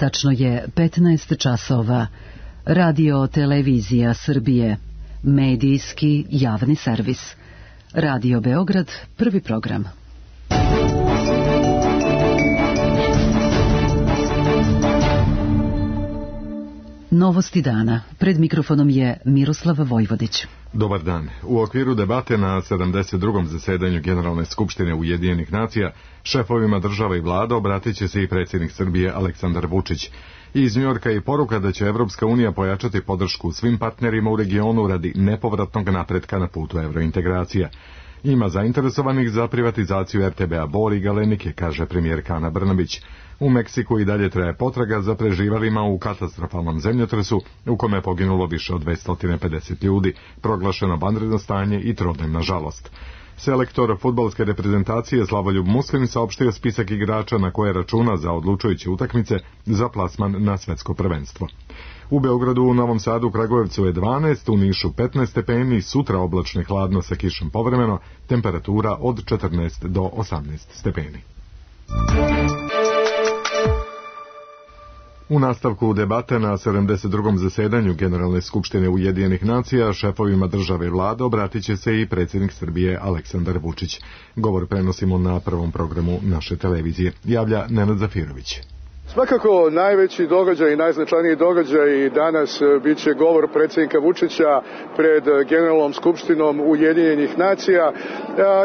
Tačno je 15 časova. Radio Televizija Srbije. Medijski javni servis. Radio Beograd, prvi program. Novosti dana. Pred mikrofonom je Miroslav Vojvodić. Dobar dan. U okviru debate na 72. zasedanju Generalne skupštine Ujedinjenih nacija šefovima država i vlada obratit će se i predsjednik Srbije Aleksandar Vučić. Iz Njujorka je poruka da će Evropska unija pojačati podršku svim partnerima u regionu radi nepovratnog napretka na putu evrointegracija. Ima zainteresovanih za privatizaciju RTB-a Bor i Galenike, kaže premijerka Ana Brnabić. U Meksiku i dalje traje potraga za preživalima u katastrofalnom zemljotresu u kome je poginulo više od 250 ljudi, proglašeno vanredno stanje i trodnevna žalost. Selektor fudbalske reprezentacije Slavoljub Muslim saopštio spisak igrača na koje računa za odlučujuće utakmice za plasman na svetsko prvenstvo. U Beogradu, u Novom Sadu, Kragujevcu je 12, u Nišu 15 stepeni, sutra oblačno i hladno sa kišom povremeno, temperatura od 14 do 18 stepeni. U nastavku debate na 72. zasedanju Generalne skupštine Ujedinjenih nacija šefovima države i vlade obratit će se i predsjednik Srbije Aleksandar Vučić. Govor prenosimo na prvom programu naše televizije. Javlja Nenad Zafirović. Svakako najveći događaj i najznačajniji događaj danas bit će govor predsjednika Vučića pred Generalnom skupštinom Ujedinjenih nacija.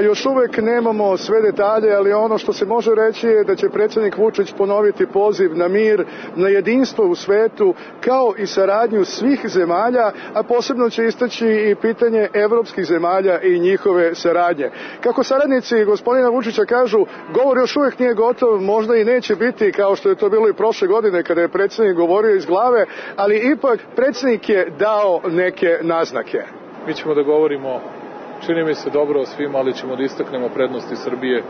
Još uvek nemamo sve detalje, ali ono što se može reći je da će predsjednik Vučić ponoviti poziv na mir, na jedinstvo u svetu, kao i saradnju svih zemalja, a posebno će istaći i pitanje evropskih zemalja i njihove saradnje. Kako saradnici gospodina Vučića kažu, govor još uvek nije gotov, možda i neće biti kao što je to bilo i prošle godine kada je predsjednik govorio iz glave, ali ipak predsjednik je dao neke naznake. Mi ćemo da govorimo, čini mi se dobro o svima, ali ćemo da istaknemo prednosti Srbije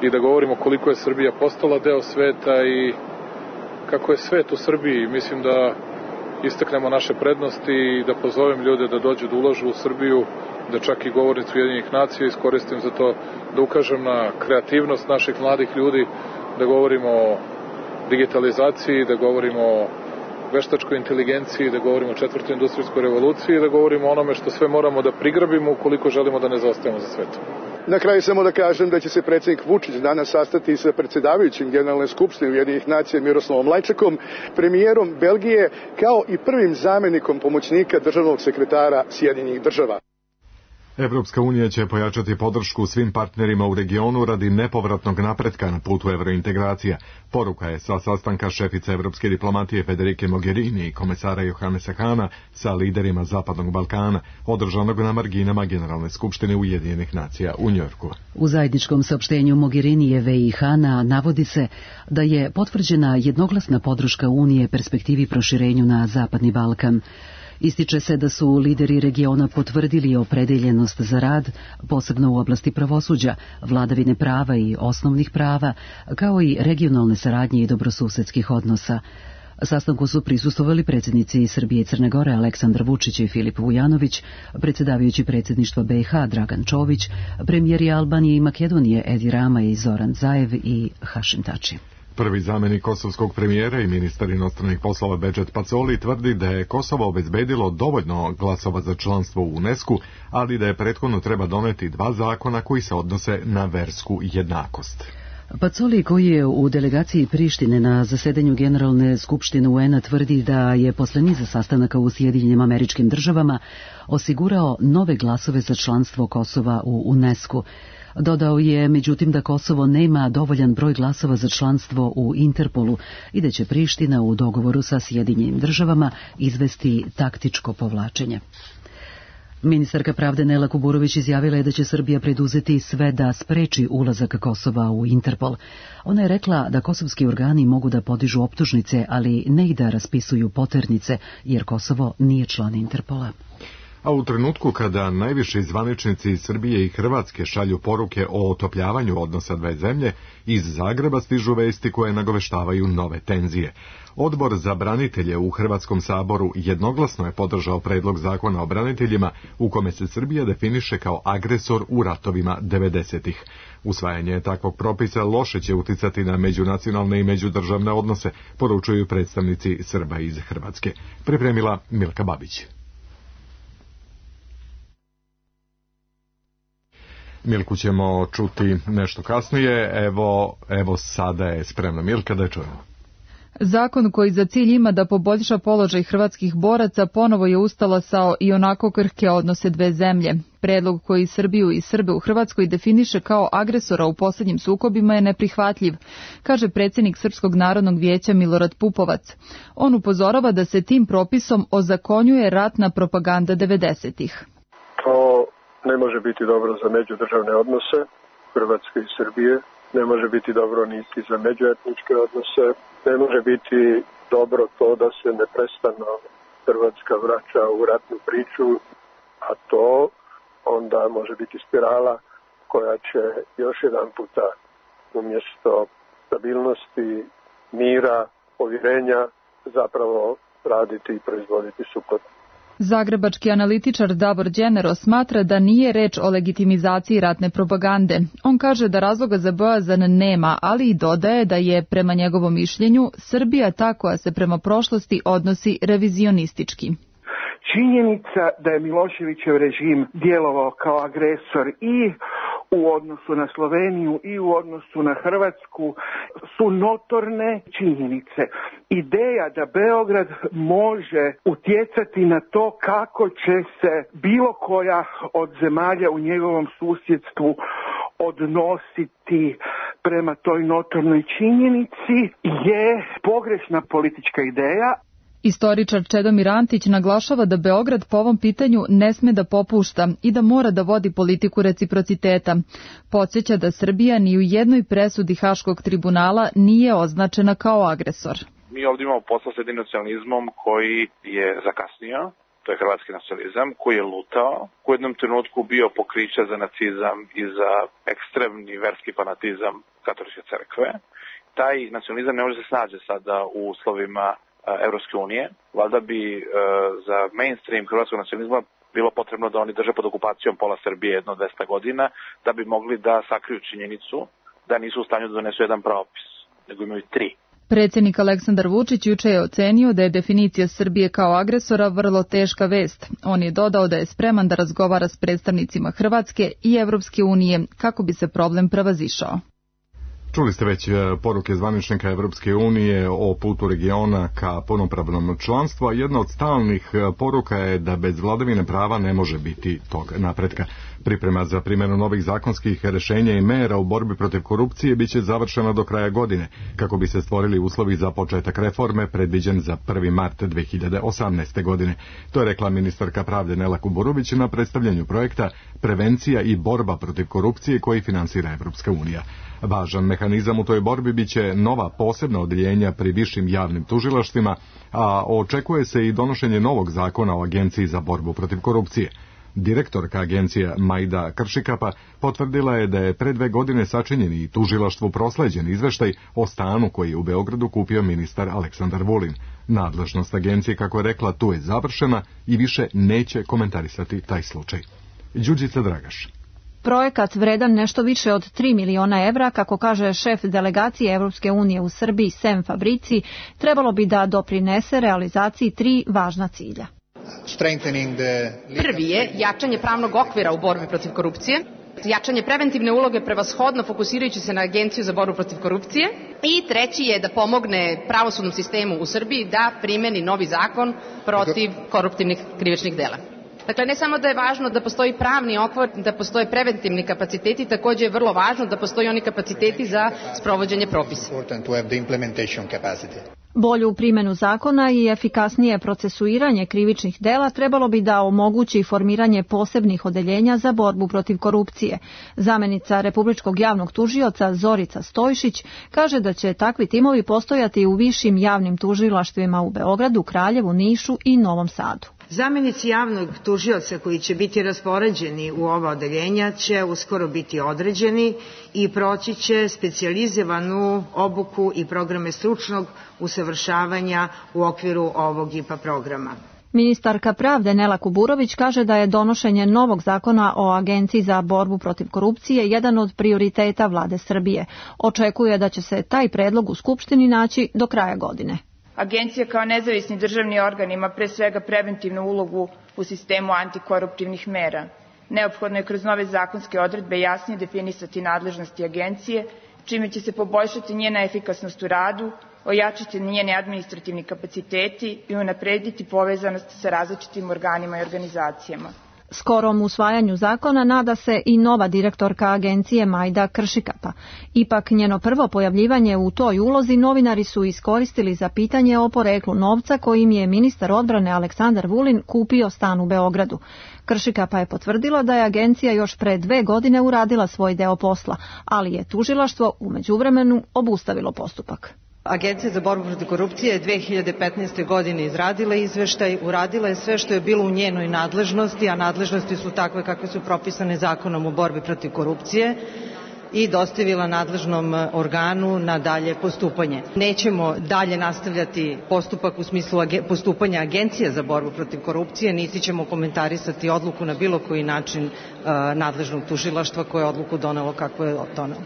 i da govorimo koliko je Srbija postala deo sveta i kako je svet u Srbiji. Mislim da istaknemo naše prednosti i da pozovem ljude da dođu da ulažu u Srbiju, da čak i govornicu Ujedinjenih nacija iskoristim za to da ukažem na kreativnost naših mladih ljudi, da govorimo o digitalizaciji, da govorimo o veštačkoj inteligenciji, da govorimo o četvrtoj industrijskoj revoluciji, da govorimo o onome što sve moramo da prigrabimo ukoliko želimo da ne zaostajemo za svetom. Na kraju samo da kažem da će se predsjednik Vučić danas sastati sa predsjedavajućim Generalne skupštine Ujedinjenih nacija Miroslavom Lajčakom, premijerom Belgije, kao i prvim zamjenikom pomoćnika državnog sekretara Sjedinjenih država. Evropska unija će pojačati podršku svim partnerima u regionu radi nepovratnog napretka na putu evrointegracija. Poruka je sa sastanka šefice evropske diplomatije Federike Mogherini i komesara Johannesa Hana sa liderima Zapadnog Balkana, održanog na marginama Generalne skupštine Ujedinjenih nacija u Njujorku. U zajedničkom saopštenju Mogherinijeve i Hana navodi se da je potvrđena jednoglasna podrška Unije perspektivi proširenju na Zapadni Balkan. Ističe se da su lideri regiona potvrdili opredeljenost za rad, posebno u oblasti pravosuđa, vladavine prava i osnovnih prava, kao i regionalne saradnje i dobrosusedskih odnosa. Sastanku su prisustvovali predsjednici Srbije i Crne Gore Aleksandar Vučić i Filip Vujanović, predsjedavajući predsjedništva BiH Dragan Čović, premijeri Albanije i Makedonije Edi Rama i Zoran Zaev i Hašim Tači. Prvi zamjenik kosovskog premijera i ministar inostranih poslova Bedžet Pacoli tvrdi da je Kosovo obezbedilo dovoljno glasova za članstvo u UNESCO, ali da je prethodno treba doneti 2 zakona koji se odnose na versku jednakost. Pacoli, koji je u delegaciji Prištine na zasedanju Generalne skupštine UN-a, tvrdi da je posle niza sastanaka u Sjedinjenim Američkim Državama osigurao nove glasove za članstvo Kosova u UNESCO. Dodao je, međutim, da Kosovo nema dovoljan broj glasova za članstvo u Interpolu i da će Priština u dogovoru sa Sjedinjenim Državama izvesti taktičko povlačenje. Ministarka pravde Nela Kuburović izjavila je da će Srbija preduzeti sve da spreči ulazak Kosova u Interpol. Ona je rekla da kosovski organi mogu da podižu optužnice, ali ne i da raspisuju poternice, jer Kosovo nije član Interpola. A u trenutku kada najviši zvaničnici iz Srbije i Hrvatske šalju poruke o otopljavanju odnosa dve zemlje, iz Zagreba stižu vesti koje nagoveštavaju nove tenzije. Odbor za branitelje u Hrvatskom saboru jednoglasno je podržao predlog zakona o braniteljima u kome se Srbija definiše kao agresor u ratovima 90-ih. Usvajanje takvog propisa loše će uticati na međunacionalne i međudržavne odnose, poručuju predstavnici Srba iz Hrvatske. Pripremila Milka Babić. Milku ćemo čuti nešto kasnije. Evo sada je spremna Milka, da je čujemo. Zakon koji za cilj ima da poboljša položaj hrvatskih boraca ponovo je ustalasao i onako krhke odnose dve zemlje. Predlog koji Srbiju i Srbe u Hrvatskoj definiše kao agresora u posljednjim sukobima je neprihvatljiv, kaže predsjednik Srpskog narodnog vijeća Milorad Pupovac. On upozorava da se tim propisom ozakonjuje ratna propaganda 90-ih. To ne može biti dobro za međudržavne odnose Hrvatske i Srbije, ne može biti dobro niti za međuetničke odnose, ne može biti dobro to da se neprestano Hrvatska vraća u ratnu priču, a to onda može biti spirala koja će još jedan puta umjesto stabilnosti, mira, povjerenja zapravo raditi i proizvoditi suprotno. Zagrebački analitičar Davor Đenero smatra da nije reč o legitimizaciji ratne propagande. On kaže da razloga za bojazan nema, ali i dodaje da je, prema njegovom mišljenju, Srbija ta koja se prema prošlosti odnosi revizionistički. Činjenica da je Miloševićev režim djelovao kao agresor i u odnosu na Sloveniju i u odnosu na Hrvatsku su notorne činjenice. Ideja da Beograd može utjecati na to kako će se bilo koja od zemalja u njegovom susjedstvu odnositi prema toj notornoj činjenici je pogrešna politička ideja. Istoričar Čedomir Antić naglašava da Beograd po ovom pitanju ne sme da popušta i da mora da vodi politiku reciprociteta. Podsjeća da Srbija ni u jednoj presudi Haškog tribunala nije označena kao agresor. Mi ovdje imamo posla s jednim nacionalizmom koji je zakasnio, to je hrvatski nacionalizam, koji je lutao, u jednom trenutku bio pokriće za nacizam i za ekstremni verski fanatizam katoličke crkve. Taj nacionalizam ne može se snađe sada u uslovima Evropske unije. Valjda bi za mainstream hrvatskog nacionalizma bilo potrebno da oni drže pod okupacijom pola Srbije jedno 200 godina da bi mogli da sakriju činjenicu da nisu u stanju da donesu jedan propis, nego imaju 3. Predsjednik Aleksandar Vučić juče je ocenio da je definicija Srbije kao agresora vrlo teška vest. On je dodao da je spreman da razgovara s predstavnicima Hrvatske i Evropske unije kako bi se problem prevazišao. Čuli ste već poruke zvaničnika Evropske unije o putu regiona ka punopravnom članstvu, a jedna od stalnih poruka je da bez vladavine prava ne može biti tog napretka. Priprema za primjenu novih zakonskih rješenja i mera u borbi protiv korupcije biće završena do kraja godine, kako bi se stvorili uslovi za početak reforme predviđen za 1. mart 2018. godine. To je rekla ministarka pravde Nela Kuburović na predstavljanju projekta Prevencija i borba protiv korupcije koji finansira Evropska unija. Važan mehanizam u toj borbi biće nova posebna odeljenja pri višim javnim tužilaštvima, a očekuje se i donošenje novog zakona o Agenciji za borbu protiv korupcije. Direktorka agencije Majda Kršikapa potvrdila je da je pre 2 godine sačinjen i tužilaštvu prosleđen izveštaj o stanu koji je u Beogradu kupio ministar Aleksandar Vulin. Nadležnost agencije, kako je rekla, tu je završena i više neće komentarisati taj slučaj. Đurđica Dragaš. Projekat vredan nešto više od 3 miliona evra, kako kaže šef delegacije Evropske unije u Srbiji Sem Fabrici, trebalo bi da doprinese realizaciji 3 važna cilja. Prvi je jačanje pravnog okvira u borbi protiv korupcije, jačanje preventivne uloge prevashodno fokusirajući se na Agenciju za borbu protiv korupcije i treći je da pomogne pravosudnom sistemu u Srbiji da primeni novi zakon protiv koruptivnih krivičnih dela. Dakle, ne samo da je važno da postoji pravni okvir, da postoje preventivni kapaciteti, također je vrlo važno da postoji oni kapaciteti za sprovođenje propisa. Bolju primjenu zakona i efikasnije procesuiranje krivičnih dela trebalo bi da omogući formiranje posebnih odeljenja za borbu protiv korupcije. Zamjenica Republičkog javnog tužioca Zorica Stojšić kaže da će takvi timovi postojati u višim javnim tužilaštvima u Beogradu, Kraljevu, Nišu i Novom Sadu. Zamenici javnog tužioca koji će biti raspoređeni u ova odeljenja će uskoro biti određeni i proći će specijalizovanu obuku i programe stručnog usavršavanja u okviru ovog IPA programa. Ministarka pravde Nela Kuburović kaže da je donošenje novog zakona o Agenciji za borbu protiv korupcije jedan od prioriteta vlade Srbije. Očekuje da će se taj predlog u Skupštini naći do kraja godine. Agencija kao nezavisni državni organ ima pre svega preventivnu ulogu u sistemu antikoruptivnih mera. Neophodno je kroz nove zakonske odredbe jasnije definisati nadležnosti agencije, čime će se poboljšati njena efikasnost u radu, ojačati njeni administrativni kapaciteti i unaprediti povezanost sa različitim organima i organizacijama. Skorom usvajanju zakona nada se i nova direktorka agencije Majda Kršikapa. Ipak njeno prvo pojavljivanje u toj ulozi novinari su iskoristili za pitanje o poreklu novca kojim je ministar odbrane Aleksandar Vulin kupio stan u Beogradu. Kršikapa je potvrdila da je agencija još pre 2 godine uradila svoj deo posla, ali je tužilaštvo u međuvremenu obustavilo postupak. Agencija za borbu protiv korupcije je 2015. godine izradila izveštaj, uradila je sve što je bilo u njenoj nadležnosti, a nadležnosti su takve kakve su propisane zakonom o borbi protiv korupcije i dostavila nadležnom organu na dalje postupanje. Nećemo dalje nastavljati postupak u smislu postupanja Agencije za borbu protiv korupcije, niti ćemo komentarisati odluku na bilo koji način nadležnog tužilaštva koje je odluku donelo kako je donelo.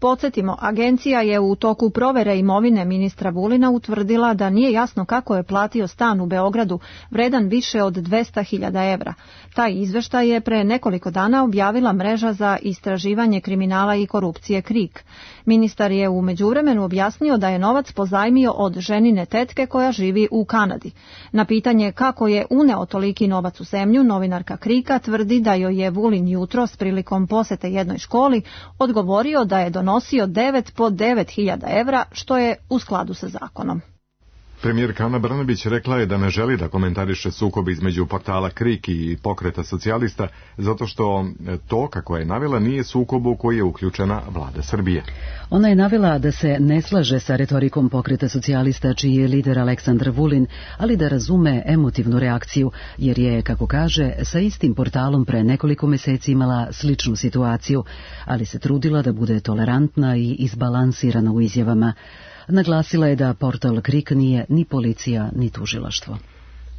Podsjetimo, agencija je u toku provere imovine ministra Vulina utvrdila da nije jasno kako je platio stan u Beogradu vredan više od 200.000 evra. Taj izveštaj je pre nekoliko dana objavila mreža za istraživanje kriminala i korupcije KRIK. Ministar je u međuvremenu objasnio da je novac pozajmio od ženine tetke koja živi u Kanadi. Na pitanje kako je uneo toliki novac u zemlju, novinarka KRIK-a tvrdi da joj je Vulin jutros prilikom posete jednoj školi odgovorio da je donosio 9 po 9.000 evra, što je u skladu sa zakonom. Premijerka Ana Brnabić rekla je da ne želi da komentariše sukob između portala KRIK i Pokreta socijalista, zato što to, kako je navela, nije sukob u koji je uključena vlada Srbije. Ona je navela da se ne slaže sa retorikom Pokreta socijalista, čiji je lider Aleksandar Vulin, ali da razume emotivnu reakciju, jer je, kako kaže, sa istim portalom pre nekoliko meseci imala sličnu situaciju, ali se trudila da bude tolerantna i izbalansirana u izjavama. Naglasila je da portal KRIK nije ni policija, ni tužilaštvo.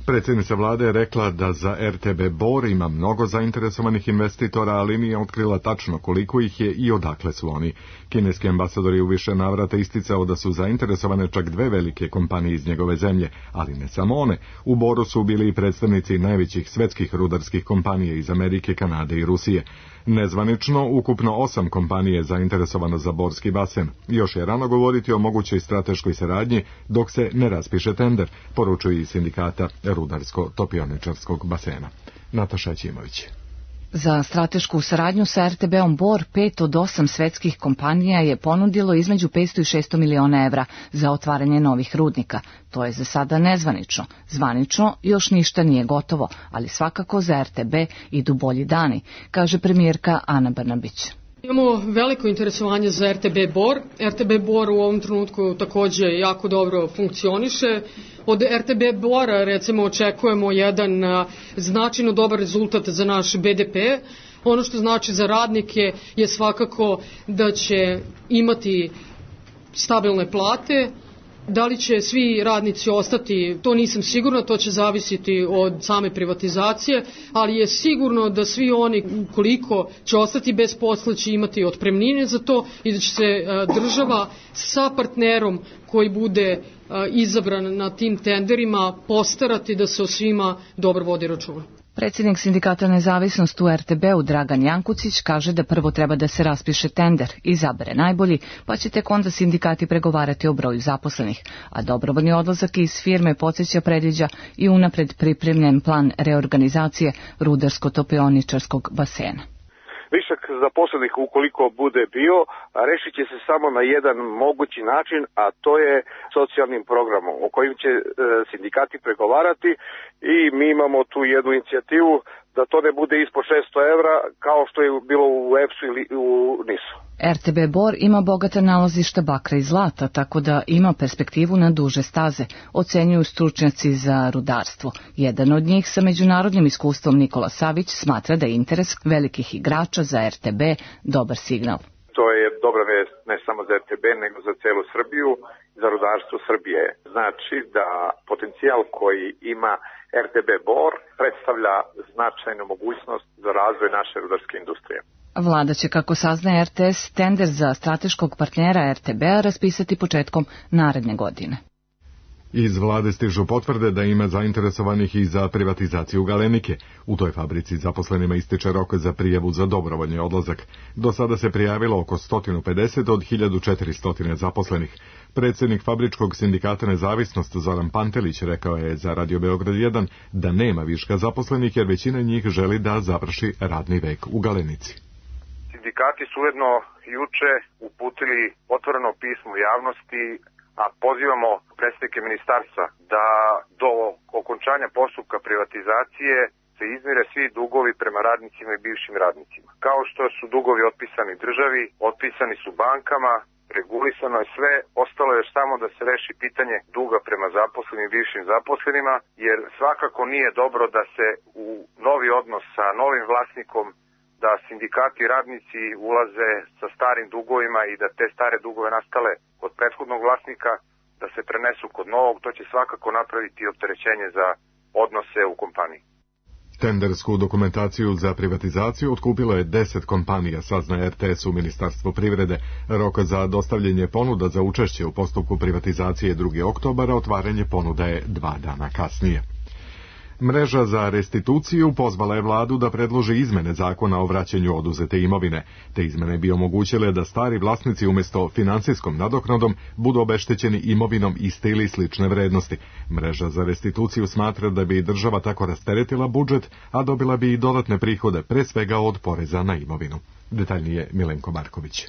Predsjednica vlade je rekla da za RTB Bor ima mnogo zainteresovanih investitora, ali nije otkrila tačno koliko ih je i odakle su oni. Kineski ambasador je u više navrata isticao da su zainteresovane čak 2 velike kompanije iz njegove zemlje, ali ne samo one. U Boru su bili i predstavnici najvećih svetskih rudarskih kompanija iz Amerike, Kanade i Rusije. Nezvanično, ukupno 8 kompanije je zainteresovano za Borski basen. Još je rano govoriti o mogućoj strateškoj saradnji dok se ne raspiše tender, poručuje i sindikata Rudarsko-topioničarskog basena. Nataša Ćimović. Za stratešku saradnju sa RTB-om Bor 5 od 8 svetskih kompanija je ponudilo između 500 i 600 miliona evra za otvaranje novih rudnika. To je za sada nezvanično. Zvanično još ništa nije gotovo, ali svakako za RTB idu bolji dani, kaže premijerka Ana Brnabić. Imamo veliko interesovanje za RTB Bor. RTB Bor u ovom trenutku takođe jako dobro funkcioniše. Od RTB Bora recimo očekujemo jedan značajno dobar rezultat za naš BDP. Ono što znači za radnike je svakako da će imati stabilne plate. Da li će svi radnici ostati, to nisam sigurna, to će zavisiti od same privatizacije, ali je sigurno da svi oni koliko će ostati bez posla će imati otpremnine za to i da će se država sa partnerom koji bude izabran na tim tenderima postarati da se o svima dobro vodi računa. Predsjednik sindikata Nezavisnost u RTB-u Dragan Jankucić kaže da prvo treba da se raspiše tender, izabere najbolji, pa će tek onda sindikati pregovarati o broju zaposlenih, a dobrovoljni odlazak iz firme podsjeća predviđa i unapred pripremljen plan reorganizacije Rudarsko-topioničarskog basena. Višak zaposlenih ukoliko bude bio, rešit će se samo na jedan mogući način, a to je socijalnim programom o kojim će sindikati pregovarati i mi imamo tu jednu inicijativu da to ne bude ispod 600 evra kao što je bilo u EPS-u ili u NIS-u. RTB Bor ima bogata nalazišta bakra i zlata, tako da ima perspektivu na duže staze, ocenjuju stručnjaci za rudarstvo. Jedan od njih sa međunarodnim iskustvom Nikola Savić smatra da je interes velikih igrača za RTB dobar signal. To je dobra vest ne samo za RTB, nego za celu Srbiju, za rudarstvo Srbije. Znači da potencijal koji ima RTB Bor predstavlja značajnu mogućnost za razvoj naše rudarske industrije. Vlada će, kako saznaje RTS, tender za strateškog partnera RTB-a raspisati početkom naredne godine. Iz vlade stižu potvrde da ima zainteresovanih i za privatizaciju Galenike. U toj fabrici zaposlenima ističe rok za prijavu za dobrovoljni odlazak. Do sada se prijavilo oko 150 od 1400 zaposlenih. Predsjednik Fabričkog sindikata Nezavisnost Zoran Pantelić rekao je za Radio Beograd 1 da nema viška zaposlenih jer većina njih želi da završi radni vek u Galenici. Sindikati su ujedno juče uputili otvoreno pismo javnosti, a pozivamo predstavnike ministarstva da do okončanja postupka privatizacije se izmire svi dugovi prema radnicima i bivšim radnicima. Kao što su dugovi otpisani državi, otpisani su bankama, regulisano je sve, ostalo je samo da se reši pitanje duga prema zaposlenim i bivšim zaposlenima, jer svakako nije dobro da se u novi odnos sa novim vlasnikom, da sindikati i radnici ulaze sa starim dugovima i da te stare dugove nastale kod prethodnog vlasnika, da se prenesu kod novog, to će svakako napraviti opterećenje za odnose u kompaniji. Tendersku dokumentaciju za privatizaciju otkupilo je 10 kompanija, sazna RTS u Ministarstvu privrede. Rok za dostavljanje ponuda za učešće u postupku privatizacije 2. oktobara, otvaranje ponuda je 2 dana kasnije. Mreža za restituciju pozvala je vladu da predloži izmene zakona o vraćanju oduzete imovine. Te izmene bi omogućile da stari vlasnici umjesto finansijskom nadoknadom budu obeštećeni imovinom iste ili slične vrednosti. Mreža za restituciju smatra da bi država tako rasteretila budžet, a dobila bi i dodatne prihode, pre svega od poreza na imovinu. Detaljnije Milenko Marković.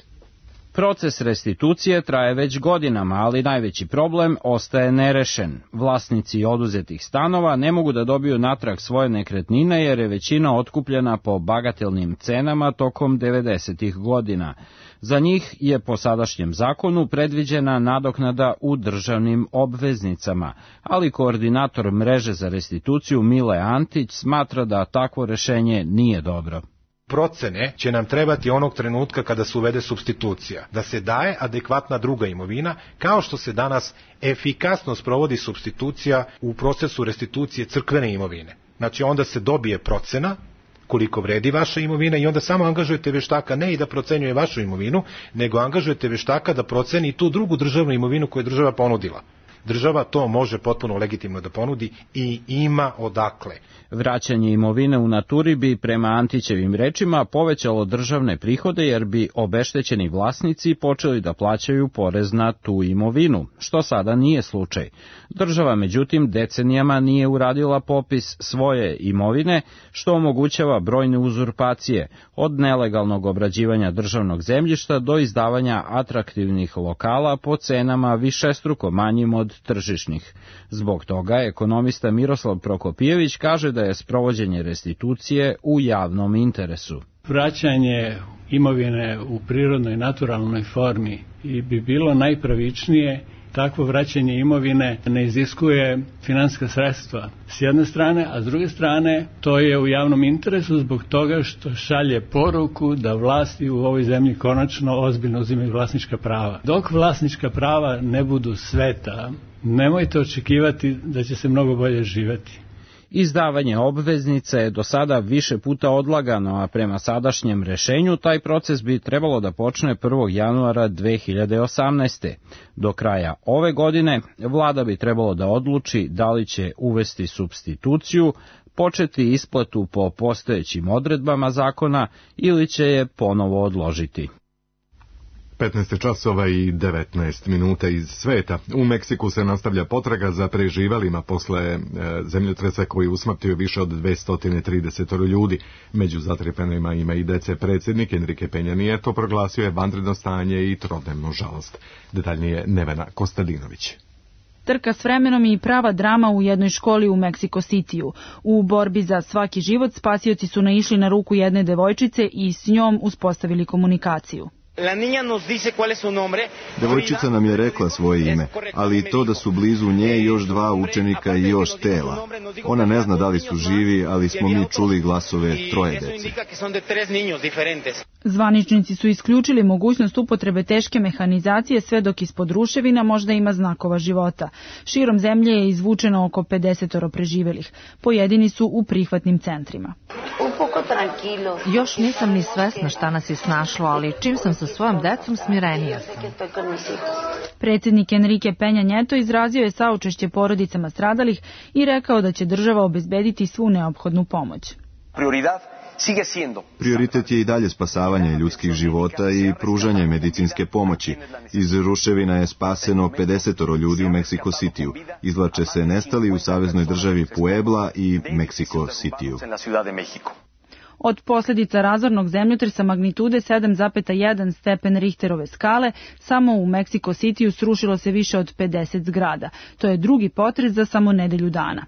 Proces restitucije traje već godinama, ali najveći problem ostaje nerešen. Vlasnici oduzetih stanova ne mogu da dobiju natrag svoje nekretnine jer je većina otkupljena po bagatelnim cenama tokom 90-ih godina. Za njih je po sadašnjem zakonu predviđena nadoknada u državnim obveznicama, ali koordinator mreže za restituciju Mile Antić smatra da takvo rešenje nije dobro. Procene će nam trebati onog trenutka kada se uvede supstitucija, da se daje adekvatna druga imovina, kao što se danas efikasno sprovodi supstitucija u procesu restitucije crkvene imovine. Znači onda se dobije procena koliko vredi vaša imovina i onda samo angažujete veštaka ne i da procenjuje vašu imovinu, nego angažujete veštaka da proceni tu drugu državnu imovinu koju je država ponudila. Država to može potpuno legitimno da ponudi i ima odakle. Vraćanje imovine u naturi bi, prema Antićevim rečima, povećalo državne prihode jer bi obeštećeni vlasnici počeli da plaćaju porez na tu imovinu, što sada nije slučaj. Država, međutim, decenijama nije uradila popis svoje imovine, što omogućava brojne uzurpacije, od nelegalnog obrađivanja državnog zemljišta do izdavanja atraktivnih lokala po cenama višestruko manjim od tržišnih. Zbog toga ekonomista Miroslav Prokopijević kaže da je sprovođenje restitucije u javnom interesu. Vraćanje imovine u prirodnoj naturalnoj formi bi bilo najpravičnije. Takvo vraćanje imovine ne iziskuje finansijska sredstva s jedne strane, a s druge strane to je u javnom interesu zbog toga što šalje poruku da vlasti u ovoj zemlji konačno ozbiljno uzimaju vlasnička prava. Dok vlasnička prava ne budu sveta, nemojte očekivati da će se mnogo bolje živjeti. Izdavanje obveznica je do sada više puta odlagano, a prema sadašnjem rešenju taj proces bi trebalo da počne 1. januara 2018. Do kraja ove godine vlada bi trebalo da odluči da li će uvesti supstituciju, početi isplatu po postojećim odredbama zakona ili će je ponovo odložiti. 15 časova i 19 minuta iz sveta. U Meksiku se nastavlja potraga za preživalima posle zemljotresa koji usmrtio više od 230 ljudi. Među zatrpanima ima i dece. Predsjednik Enrique Peña Nieto proglasio je vanredno stanje i trodnevnu žalost. Detaljnije Nevena Kostadinović. Trka s vremenom i prava drama u jednoj školi u Meksiko Cityu. U borbi za svaki život spasioci su naišli na ruku jedne devojčice i s njom uspostavili komunikaciju. Devojčica nam je rekla svoje ime, ali i to da su blizu nje još dva učenika i još tela. Ona ne zna da li su živi, ali smo mi čuli glasove troje dece. Zvaničnici su isključili mogućnost upotrebe teške mehanizacije sve dok ispod ruševina možda ima znakova života. Širom zemlje je izvučeno oko 50 preživelih. Pojedini su u prihvatnim centrima. Još nisam ni svesna šta nas je snašlo, ali čim sam sa svojom decom smirenija sam. Predsjednik Enrique Peña Nieto izrazio je saučešće porodicama stradalih i rekao da će država obezbediti svu neophodnu pomoć. Prioritet je i dalje spasavanje ljudskih života i pružanje medicinske pomoći. Iz ruševina je spaseno 50 ljudi u Meksiko Cityu. Izvlače se nestali u saveznoj državi Puebla i Meksiko Cityu. Od posljedica razornog zemljotresa magnitude 7,1 stepen Richterove skale, samo u Meksiko Cityu srušilo se više od 50 zgrada. To je drugi potres za samo nedelju dana.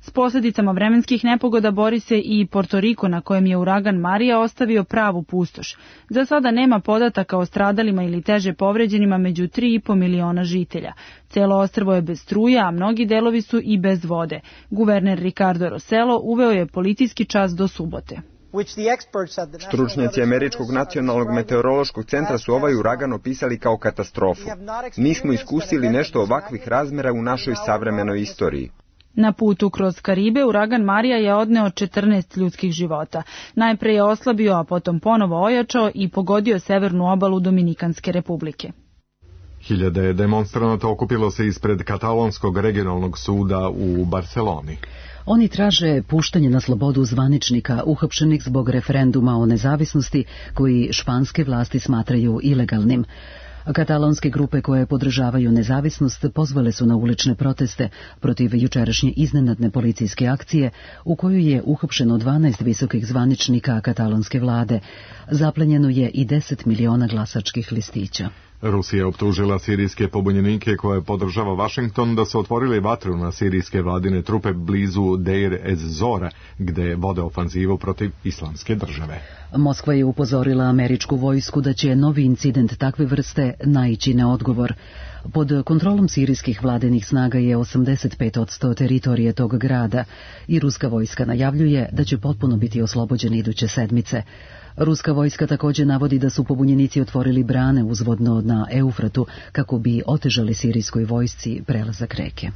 S posljedicama vremenskih nepogoda bori se i Porto Riko, na kojem je uragan Marija ostavio pravu pustoš. Za sada nema podataka o stradalima ili teže povređenima među 3,5 miliona žitelja. Celo ostrvo je bez struje, a mnogi delovi su i bez vode. Guverner Ricardo Rossello uveo je policijski čas do subote. Stručnjaci Američkog nacionalnog meteorološkog centra su ovaj uragan opisali kao katastrofu. Nismo iskusili nešto ovakvih razmjera u našoj savremenoj istoriji. Na putu kroz Karibe uragan Marija je odneo 14 ljudskih života. Najpre je oslabio, a potom ponovo ojačao i pogodio severnu obalu Dominikanske republike. Hiljade demonstranata okupilo se ispred katalonskog regionalnog suda u Barceloni. Oni traže puštanje na slobodu zvaničnika uhapšenih zbog referenduma o nezavisnosti koji španske vlasti smatraju ilegalnim. Katalonske grupe koje podržavaju nezavisnost pozvale su na ulične proteste protiv jučerašnje iznenadne policijske akcije u kojoj je uhapšeno 12 visokih zvaničnika katalonske vlade. Zaplenjeno je i 10 miliona glasačkih listića. Rusija optužila sirijske pobunjenike koje podržava Washington da su otvorili vatru na sirijske vladine trupe blizu Deir ez-Zora, gde vode ofanzivu protiv islamske države. Moskva je upozorila američku vojsku da će novi incident takve vrste naići na odgovor. Pod kontrolom sirijskih vladinih snaga je 85% teritorije tog grada i ruska vojska najavljuje da će potpuno biti oslobođeni iduće sedmice. Ruska vojska također navodi da su pobunjenici otvorili brane uzvodno na Eufratu kako bi otežali sirijskoj vojsci prelazak reke.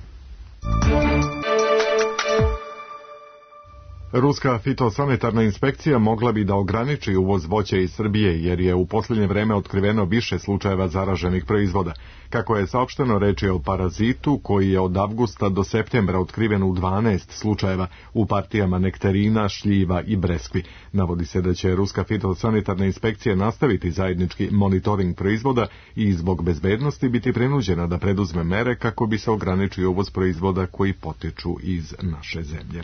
Ruska fitosanitarna inspekcija mogla bi da ograniči uvoz voća iz Srbije jer je u posljednje vreme otkriveno više slučajeva zaraženih proizvoda. Kako je saopšteno, reč je o parazitu koji je od avgusta do septembra otkriven u 12 slučajeva u partijama nektarina, šljiva i breskvi. Navodi se da će Ruska fitosanitarna inspekcija nastaviti zajednički monitoring proizvoda i zbog bezbednosti biti prinuđena da preduzme mere kako bi se ograničio uvoz proizvoda koji potiču iz naše zemlje.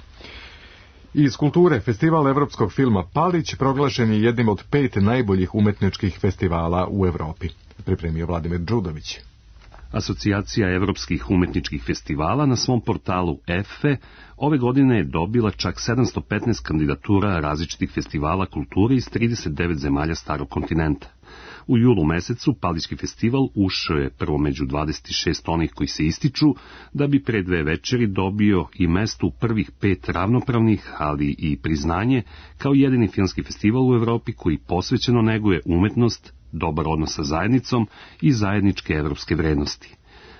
Iz kulture, festival evropskog filma Palić proglašen je jednim od 5 najboljih umetničkih festivala u Evropi. Pripremio Vladimir Đudović. Asocijacija evropskih umetničkih festivala na svom portalu EFE ove godine je dobila čak 715 kandidatura različitih festivala kulture iz 39 zemalja starog kontinenta. U julu mesecu Palićki festival ušao je prvo među 26 onih koji se ističu, da bi pre 2 večeri dobio i mesto u prvih 5 ravnopravnih, ali i priznanje kao jedini filmski festival u Evropi koji posvećeno neguje umetnost, dobar odnos sa zajednicom i zajedničke evropske vrednosti.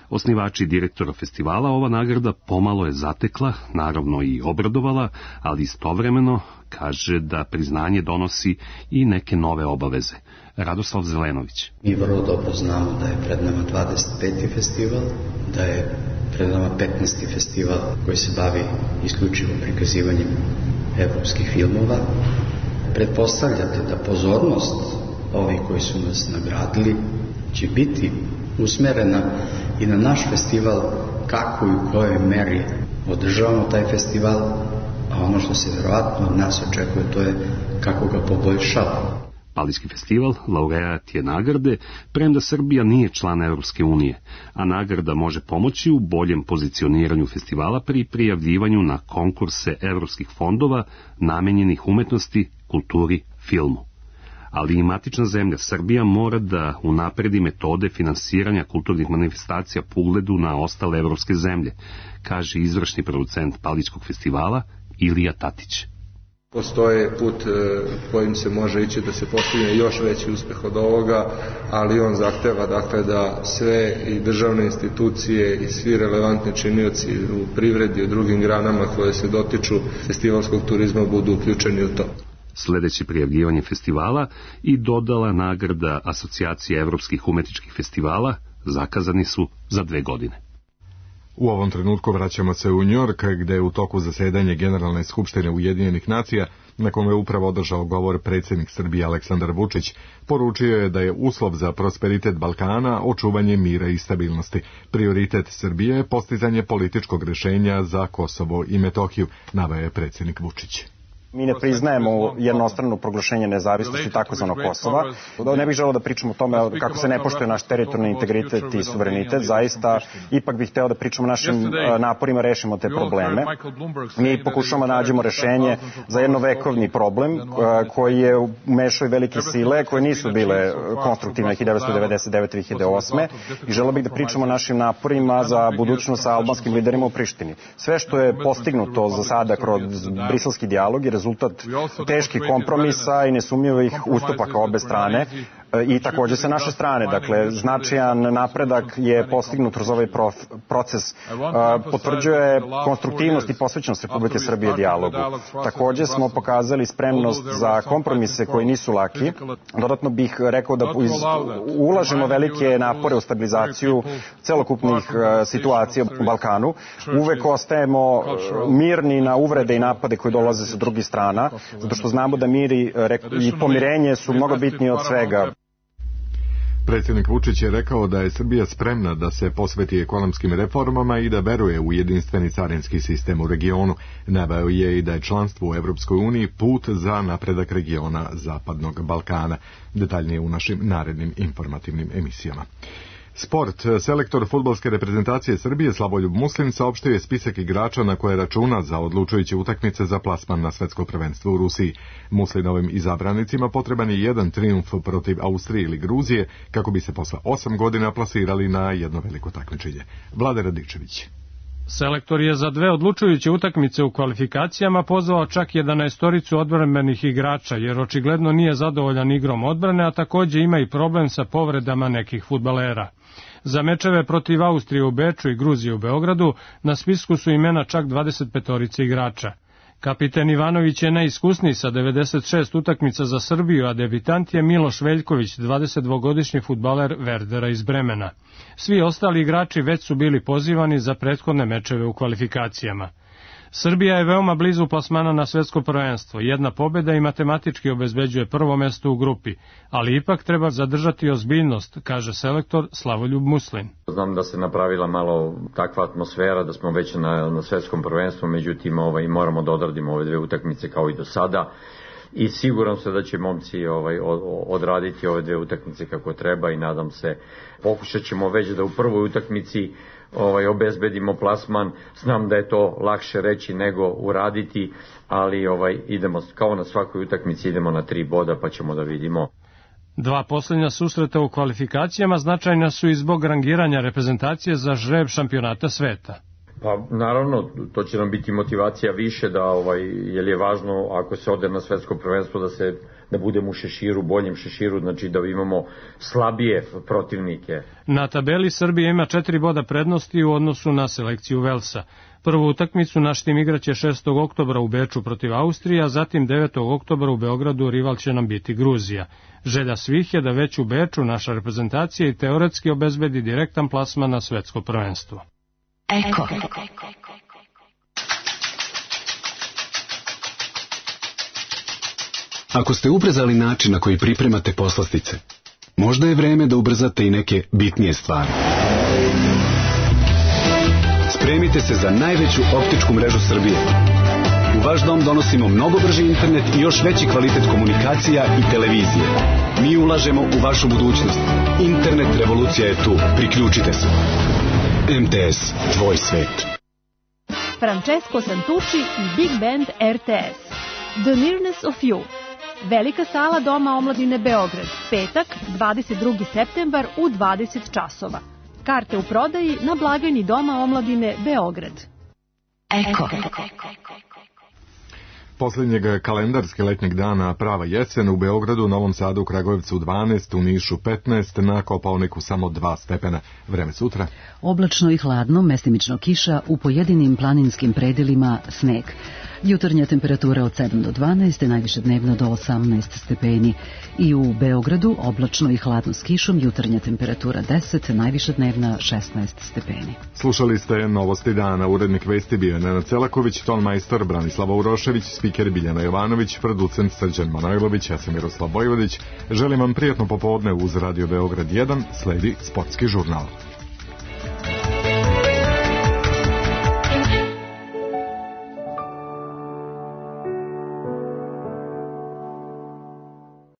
Osnivači i direktora festivala ova nagrada pomalo je zatekla, naravno i obradovala, ali istovremeno kaže da priznanje donosi i neke nove obaveze. Radoslav Zelenović. Mi vrlo dobro znamo da je pred nama 25. festival, da je pred nama 15. festival koji se bavi isključivo prikazivanjem evropskih filmova. Pretpostavljate da pozornost ovih koji su nas nagradili će biti usmerena i na naš festival, kako i u kojoj meri održavamo taj festival, a ono što se vjerovatno od nas očekuje to je kako ga poboljšavamo. Palički festival laureat je nagrade, premda Srbija nije član Evropske unije, a nagrada može pomoći u boljem pozicioniranju festivala pri prijavljivanju na konkurse evropskih fondova namenjenih umetnosti, kulturi, filmu. Ali i matična zemlja Srbija mora da unapredi metode finansiranja kulturnih manifestacija po ugledu na ostale evropske zemlje, kaže izvršni producent Paličkog festivala Ilija Tatić. Postoje put kojim se može ići da se postigne još veći uspeh od ovoga, ali on zahteva dakle da sve i državne institucije i svi relevantni činioci u privredi i u drugim granama koje se dotiču festivalskog turizma budu uključeni u to. Sledeće prijavljivanje festivala i dodala nagrada Asocijacije evropskih umetničkih festivala zakazani su za 2 godine. U ovom trenutku vraćamo se u Njujork, gde je u toku zasedanje Generalne skupštine Ujedinjenih nacija, na kome je upravo održao govor predsjednik Srbije Aleksandar Vučić, poručio je da je uslov za prosperitet Balkana očuvanje mira i stabilnosti. Prioritet Srbije je postizanje političkog rješenja za Kosovo i Metohiju, naveo je predsjednik Vučić. Mi ne priznajemo jednostrano proglašenje nezavisnosti takozvanog Kosova. Ne bih želeo da pričamo o tome kako se ne poštuje naš teritorijalni integritet i suverenitet. Zaista, ipak bih hteo da pričamo o našim naporima, rešimo te probleme. Mi pokušamo da nađemo rešenje za jednovekovni problem koji je umešao i velike sile koje nisu bile konstruktivne 1999-2008. I želeo bih da pričamo o našim naporima za budućnost sa albanskim liderima u Prištini. Sve što je postignuto za sada kroz briselski dijalog je rezultat teških kompromisa i nesumnjivih ustupaka obe strane i takođe sa naše strane. Dakle, značajan napredak je postignut kroz ovaj proces. Potvrđuje konstruktivnost i posvećenost Republike Srbije dijalogu. Takođe smo pokazali spremnost za kompromise koji nisu laki. Dodatno bih rekao da ulažemo velike napore u stabilizaciju celokupnih situacija u Balkanu. Uvek ostajemo mirni na uvrede i napade koji dolaze sa drugih strana, zato što znamo da mir i pomirenje su mnogo bitniji od svega. Predsjednik Vučić je rekao da je Srbija spremna da se posveti ekonomskim reformama i da veruje u jedinstveni carinski sistem u regionu. Naveo je i da je članstvo u Evropskoj uniji put za napredak regiona Zapadnog Balkana. Detaljnije u našim narednim informativnim emisijama. Sport. Selektor fudbalske reprezentacije Srbije Slavoljub Muslin saopštio je spisak igrača na koje računa za odlučujuće utakmice za plasman na svetsko prvenstvo u Rusiji. Muslinovim izabranicima potreban je jedan trijumf protiv Austrije ili Gruzije kako bi se posle 8 godina plasirali na jedno veliko takmičenje. Vlade Radičević. Selektor je za 2 odlučujuće utakmice u kvalifikacijama pozvao čak 11 odbrambenih igrača, jer očigledno nije zadovoljan igrom odbrane, a takođe ima i problem sa povredama nekih fudbalera. Za mečeve protiv Austrije u Beču i Gruzije u Beogradu na spisku su imena čak 25 igrača. Kapiten Ivanović je najiskusniji sa 96 utakmica za Srbiju, a debitant je Miloš Veljković, 22-godišnji fudbaler Verdera iz Bremena. Svi ostali igrači već su bili pozivani za prethodne mečeve u kvalifikacijama. Srbija je veoma blizu plasmana na svetsko prvenstvo. Jedna pobjeda i matematički obezbeđuje prvo mesto u grupi, ali ipak treba zadržati ozbiljnost, kaže selektor Slavoljub Muslin. Znam da se napravila malo takva atmosfera da smo već na svetskom prvenstvu, međutim moramo da odradimo ove 2 utakmice kao i do sada. I siguran se da će momci odraditi ove 2 utakmice kako treba i nadam se, pokušat ćemo već da u prvoj utakmici obezbedimo plasman. Znam da je to lakše reći nego uraditi, ali idemo kao na svakoj utakmici, idemo na 3 boda pa ćemo da vidimo. 2 posljednja susreta u kvalifikacijama značajna su i zbog rangiranja reprezentacije za žreb šampionata sveta. Pa naravno, to će nam biti motivacija više jer je važno ako se ode na svetsko prvenstvo da budemo u šeširu, boljem šeširu, znači da imamo slabije protivnike. Na tabeli Srbija ima 4 boda prednosti u odnosu na selekciju Velsa. Prvu utakmicu naš tim igraće 6. oktobra u Beču protiv Austrije, a zatim 9. oktobra u Beogradu rival će nam biti Gruzija. Želja svih je da već u Beču naša reprezentacija i teoretski obezbedi direktan plasman na svetsko prvenstvo. Eko. Ako ste ubrzali način na koji pripremate poslastice, možda je vreme da ubrzate i neke bitnije stvari. Spremite se za najveću optičku mrežu Srbije. U vaš dom donosimo mnogo brži internet i još veći kvalitet komunikacija i televizije. Mi ulažemo u vašu budućnost. Internet revolucija je tu. Priključite se. MTS, tvoj svet. Francesco Santucci i Big Band RTS. The Nearness of You. Velika sala Doma omladine Beograd. Petak, 22. septembar u 20 časova. Karte u prodaji na blagajni Doma omladine Beograd. Eko. Posljednjeg kalendarske letnjeg dana prava jesen u Beogradu, Novom Sadu, Kragujevcu 12, u Nišu 15, na Kopaoniku samo 2 stepena. Vreme sutra. Oblačno i hladno, mestimično kiša, u pojedinim planinskim predelima sneg. Jutarnja temperatura od 7 do 12, najviše dnevno do 18 stepeni. I u Beogradu oblačno i hladno s kišom, jutarnja temperatura 10, najviše dnevna 16 stepeni. Slušali ste Novosti dana, urednik vesti bio Nenad Celaković, tonmajstor Branislava Urošević, spiker Biljana Jovanović, producent Srđan Manojlović, ja sam Miroslav Bojvodić. Želim vam prijatno popodne uz Radio Beograd 1, sledi sportski žurnal.